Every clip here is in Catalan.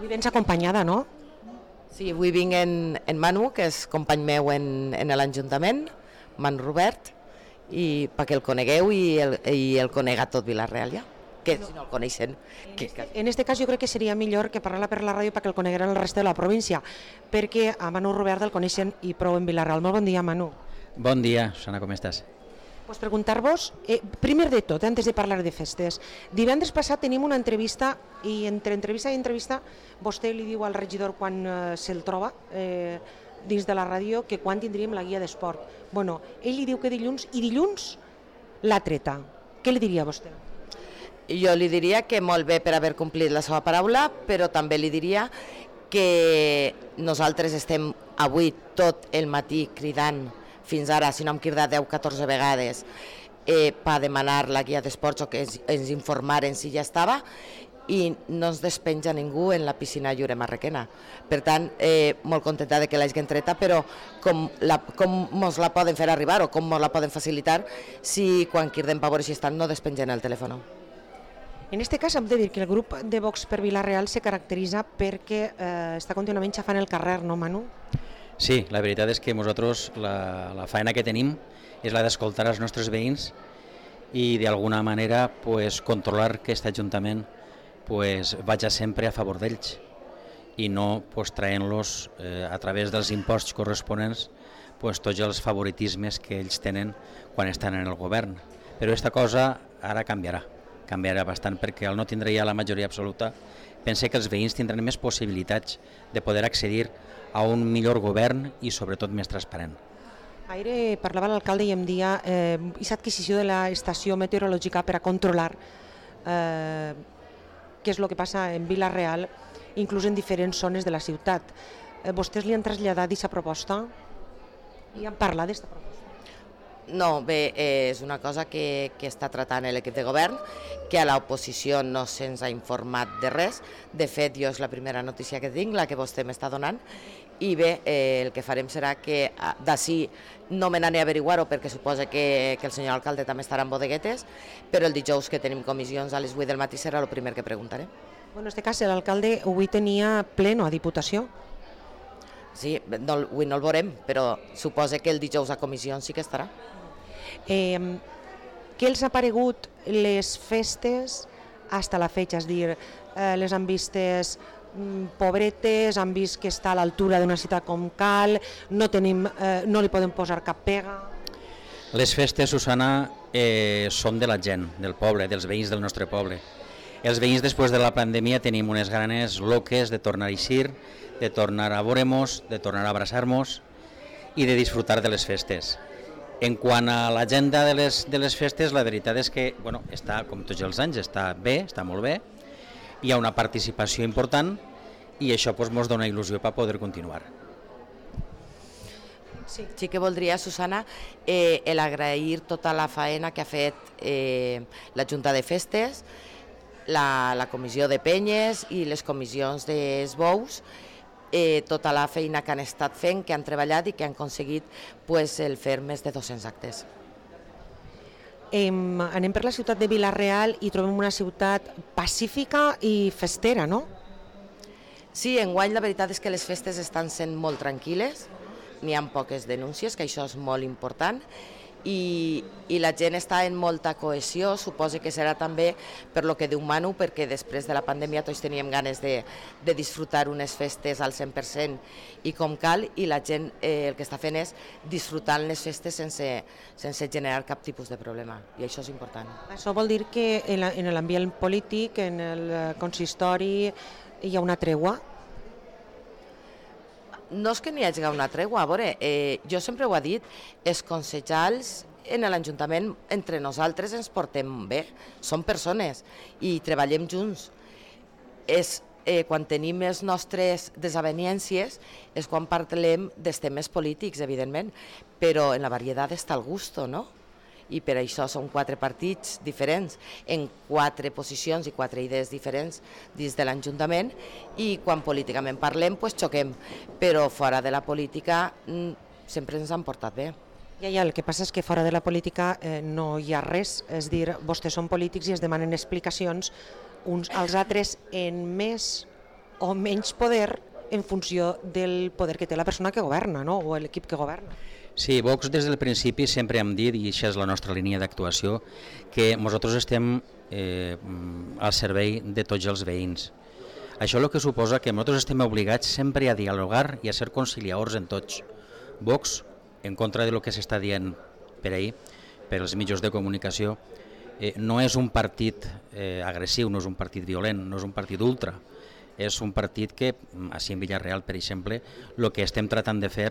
Avui vens acompanyada, no? Sí, avui vinc en Manu, que és company meu en l'Ajuntament, Manu Robert, i perquè el conegueu i el conega tot Vila-real ja, que si no el coneixen. En este cas jo crec que seria millor que parlar per la ràdio perquè el conegueren el reste de la província, perquè a Manu Robert el coneixen i prou en Vila-real. Molt bon dia, Manu. Bon dia, Susana, com estàs? Pues preguntar-vos, primer de tot, antes de parlar de festes, divendres passat tenim una entrevista i entre entrevista i entrevista vostè li diu al regidor quan se'l troba dins de la ràdio que quan tindríem la guia d'esport. Bueno, ell li diu que dilluns i dilluns l'ha treta. Què li diria vostè? Jo li diria que molt bé per haver complit la seva paraula, però també li diria que nosaltres estem avui tot el matí cridant fins ara, si no hem cridat 10-14 vegades, per demanar la guia d'esports o que ens informaren si ja estava, i no ens despenja ningú en la piscina Lliure Marrequena. Per tant, molt contenta de que l'hagin treta, però com ens la poden fer arribar o com ens la poden facilitar si quan cridem per veure si estan no despengen el telèfon. En aquest cas hem de dir que el grup de Vox per Vila-real se caracteritza perquè està contínuament xafant el carrer, no, Manu? Sí, la veritat és que nosaltres la feina que tenim és la d'escoltar els nostres veïns i d'alguna manera controlar que aquest Ajuntament vagi sempre a favor d'ells i no traient-los a través dels imposts corresponents tots els favoritismes que ells tenen quan estan en el govern. Però aquesta cosa ara canviarà bastant perquè al no tindre ja la majoria absoluta pense que els veïns tindran més possibilitats de poder accedir a un millor govern i sobretot més transparent. Ahir parlava l'alcalde i em dia aquesta adquisició de l'estació meteorològica per a controlar què és el que passa en Vila-real, inclús en diferents zones de la ciutat. Vostès li han traslladat aquesta proposta i han parlat d'aquesta proposta? No, bé, és una cosa que està tratant l'equip de govern, que a l'oposició no se'ns ha informat de res. De fet, jo és la primera notícia que tinc, la que vostè m'està donant, i bé, el que farem serà que d'ací no me n'aniré a averiguar-ho perquè suposa que el senyor alcalde també estarà en bodeguetes, però el dijous que tenim comissions a les 8 del matí serà el primer que preguntaré. En aquest cas, l'alcalde avui tenia pleno a Diputació. Sí, avui no el veurem, però suposa que el dijous a comissions sí que estarà. Què els ha paregut les festes hasta la fecha? És dir, les han vistes pobretes, han vist que està a l'altura d'una ciutat com cal, no li poden posar cap pega? Les festes, Susana, són de la gent, del poble, dels veïns del nostre poble. Els veïns després de la pandèmia tenim unes ganes loques de tornar a eixir, de tornar a veure-nos, de tornar a abraçar-nos i de disfrutar de les festes. En quant a l'agenda de les festes, la veritat és que està, com tots els anys, està bé, està molt bé, hi ha una participació important i això ens dona il·lusió per poder continuar. Sí que voldria, Susana, agrair tota la faena que ha fet la Junta de Festes, la comissió de penyes i les comissions d'esbous, tota la feina que han estat fent, que han treballat i que han aconseguit el fer més de 200 actes. Anem per la ciutat de Vila-real i trobem una ciutat pacífica i festera, no? Sí, enguany la veritat és que les festes estan sent molt tranquil·les, n'hi ha poques denúncies, que això és molt important, i la gent està en molta cohesió. Suposo que serà també per lo que diu Manu, perquè després de la pandèmia tots teníem ganes de disfrutar unes festes al 100% i com cal, i la gent el que està fent és disfrutar les festes sense generar cap tipus de problema, i això és important. Això vol dir que en l'ambient polític, en el consistori, hi ha una tregua? No és que n'hi hagi una tregua, a veure, jo sempre ho he dit, els concejals en l'Ajuntament entre nosaltres ens portem bé, som persones i treballem junts. Quan tenim les nostres desavenències és quan parlem dels temes polítics, evidentment, però en la varietat està el gusto, no? I per això són 4 partits diferents, en 4 posicions i 4 idees diferents dins de l'Ajuntament, i quan políticament parlem xoquem, però fora de la política sempre ens han portat bé. Ja, el que passa és que fora de la política no hi ha res, és dir, vostès són polítics i es demanen explicacions uns als altres en més o menys poder en funció del poder que té la persona que governa, no? O l'equip que governa. Sí, Vox des del principi sempre hem dit, i això és la nostra línia d'actuació, que nosaltres estem al servei de tots els veïns. Això el que suposa que nosaltres estem obligats sempre a dialogar i a ser conciliadors en tots. Vox, en contra de lo que s'està dient per ahir, per als mitjans de comunicació, no és un partit agressiu, no és un partit violent, no és un partit ultra. És un partit que, així en Villarreal, per exemple, el que estem tratant de fer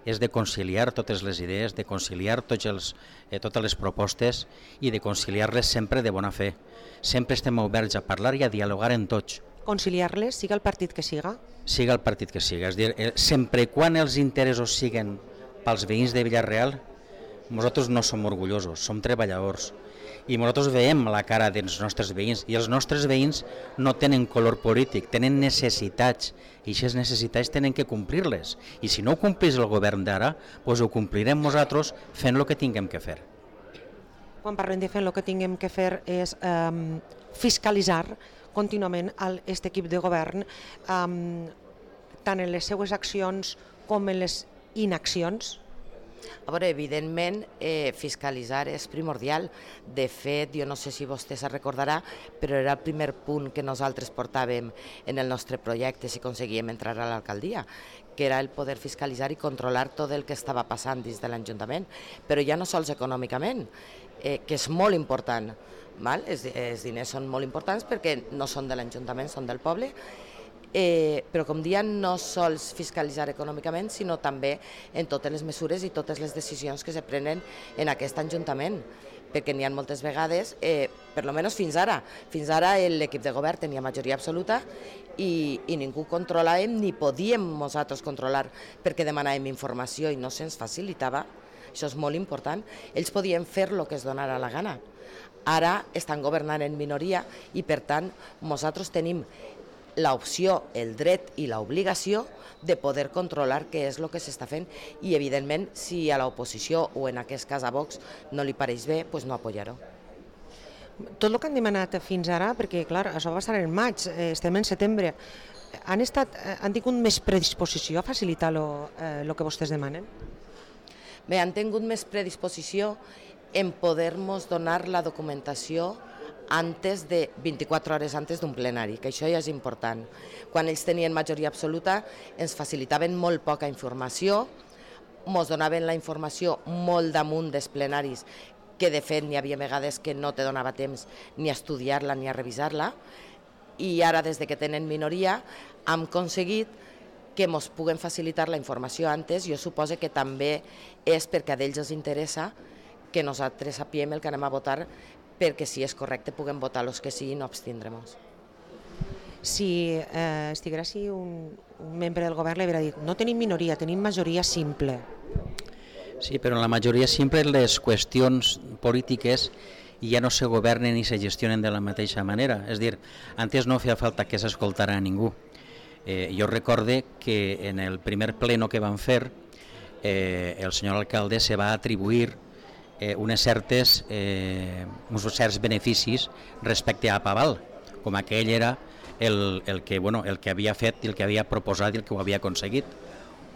és de conciliar totes les idees, de conciliar totes les propostes i de conciliar-les sempre de bona fe. Sempre estem oberts a parlar i a dialogar en tots. Conciliar-les, siga el partit que siga? Siga el partit que siga. És dir, sempre quan els interessos siguen pels veïns de Villarreal, nosaltres no som orgullosos, som treballadors. I nosaltres veiem la cara dels nostres veïns i els nostres veïns no tenen color polític, tenen necessitats i aquestes necessitats tenen que complir-les i si no ho complís el govern d'ara, doncs ho complirem nosaltres fent el que tinguem que fer. Quan parlem de fer el que tinguem que fer és fiscalitzar contínuament aquest equip de govern tant en les seues accions com en les inaccions. A veure, evidentment, fiscalitzar és primordial. De fet, jo no sé si vostè se'n recordarà, però era el primer punt que nosaltres portàvem en el nostre projecte si aconseguíem entrar a l'alcaldia, que era el poder fiscalitzar i controlar tot el que estava passant dins de l'Ajuntament, però ja no sols econòmicament, que és molt important. Els diners són molt importants perquè no són de l'Ajuntament, són del poble, però com deia, no sols fiscalitzar econòmicament, sinó també en totes les mesures i totes les decisions que se prenen en aquest Ajuntament, perquè n'hi ha moltes vegades, per almenys fins ara l'equip de govern tenia majoria absoluta i ningú controlàvem ni podíem nosaltres controlar perquè demanàvem informació i no se'ns facilitava. Això és molt important. Ells podien fer el que es donara la gana. Ara estan governant en minoria i per tant nosaltres tenim l'opció, el dret i l'obligació de poder controlar què és el que s'està fent i, evidentment, si a l'oposició o en aquest cas a Vox no li pareix bé, doncs no apoyar-ho. Tot el que han demanat fins ara, perquè clar, això va estar en maig, estem en setembre, han tingut més predisposició a facilitar el que vostès demanen? Bé, han tingut més predisposició en poder-nos donar la documentació antes de 24 hores antes d'un plenari, que això ja és important. Quan ells tenien majoria absoluta ens facilitaven molt poca informació, ens donaven la informació molt damunt dels plenaris, que de fet n'hi havia vegades que no te donava temps ni a estudiar-la ni a revisar-la, i ara des de que tenen minoria hem aconseguit que ens puguen facilitar la informació antes. Jo suposo que també és perquè a ells els interessa que nosaltres sapiem el que anem a votar, perquè si és correcte puguem votar els que sí i no abstindrem-nos. Si estiguera així un membre del govern li hauria dit no tenim minoria, tenim majoria simple. Sí, però en la majoria simple les qüestions polítiques ja no se governen ni se gestionen de la mateixa manera. És dir, antes no feia falta que s'escoltara a ningú. Jo recorde que en el primer pleno que van fer el senyor alcalde se va atribuir uns certs beneficis respecte a Paval, com aquell era el que havia fet i el que havia proposat i el que ho havia aconseguit.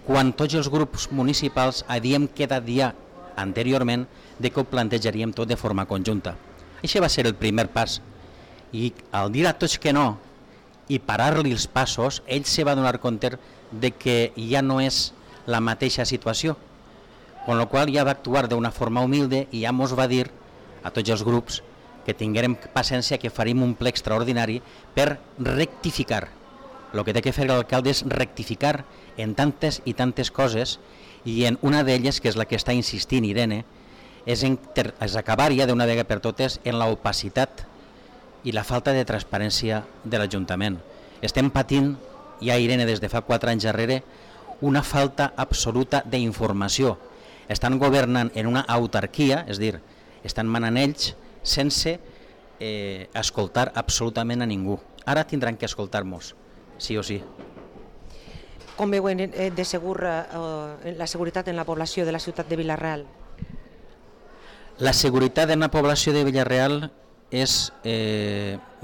Quan tots els grups municipals havíem quedat ja anteriorment de que ho plantejaríem tot de forma conjunta. Això va ser el primer pas. I al dir a tots que no i parar-li els passos, ell se va donar compte de que ja no és la mateixa situació. Con lo qual ja va actuar d'una forma humilde i ja ens va dir a tots els grups que tinguérem paciència, que faríem un ple extraordinari per rectificar. El que té que fer l'alcalde és rectificar en tantes i tantes coses i en una d'elles, que és la que està insistint Irene, és acabar ja d'una vegada per totes en l'opacitat i la falta de transparència de l'Ajuntament. Estem patint, ja Irene des de fa 4 anys darrere, una falta absoluta d'informació. Estan governant en una autarquia, és dir, estan manant ells sense escoltar absolutament a ningú. Ara tindran que escoltar-nos, sí o sí. Com veuen de segur la seguretat en la població de la ciutat de Vila-real? La seguretat en la població de Vila-real és,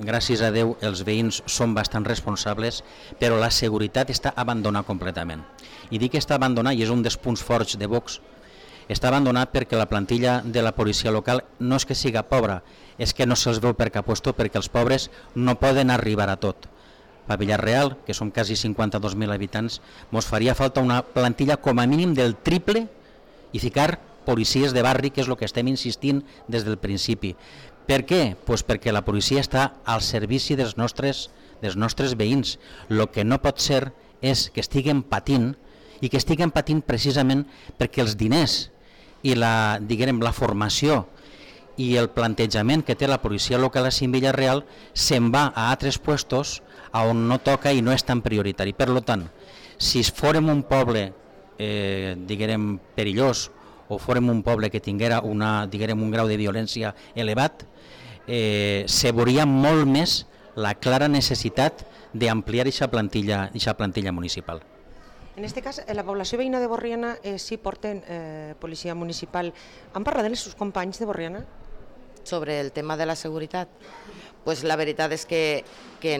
gràcies a Déu, els veïns són bastant responsables, però la seguretat està abandonada completament. I dic que està abandonada, i és un dels punts forts de Vox, està abandonat perquè la plantilla de la policia local no és que siga pobra, és que no se'ls veu per cap puesto perquè els pobres no poden arribar a tot. A Villarreal, que som quasi 52.000 habitants, ens faria falta una plantilla com a mínim del triple i ficar policies de barri, que és el que estem insistint des del principi. Per què? Pues perquè la policia està al servici dels nostres veïns. El que no pot ser és que estiguen patint, i que estiguen patint precisament perquè els diners i la formació i el plantejament que té la policia local a Villarreal se'n va a altres puestos on no toca i no és tan prioritari. Per tant, si fórem un poble perillós o fórem un poble que tinguera un grau de violència elevat, se veuria molt més la clara necessitat d'ampliar aquesta plantilla municipal. En aquest cas, la població veïna de Borriana sí porten policia municipal. Han parlat amb els seus companys de Borriana? Sobre el tema de la seguretat, pues la veritat és que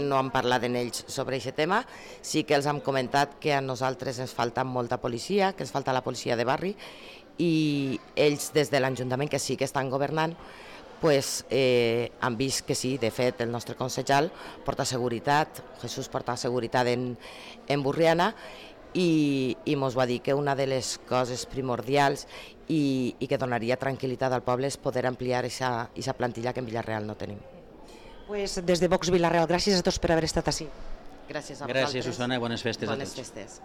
no han parlat amb ells sobre aquest tema. Sí que els hem comentat que a nosaltres ens falta molta policia, que ens falta la policia de barri, i ells des de l'Ajuntament, que sí que estan governant, pues, han vist que sí. De fet, el nostre concejal porta seguretat, Jesús porta seguretat en Borriana, i ens va dir que una de les coses primordials i que donaria tranquil·litat al poble és poder ampliar aquesta plantilla que en Villarreal no tenim. Pues des de Vox Villarreal, gràcies a tots per haver estat així. Gràcies a vosaltres. Gràcies, Susana, i bones festes a tots. Bones festes.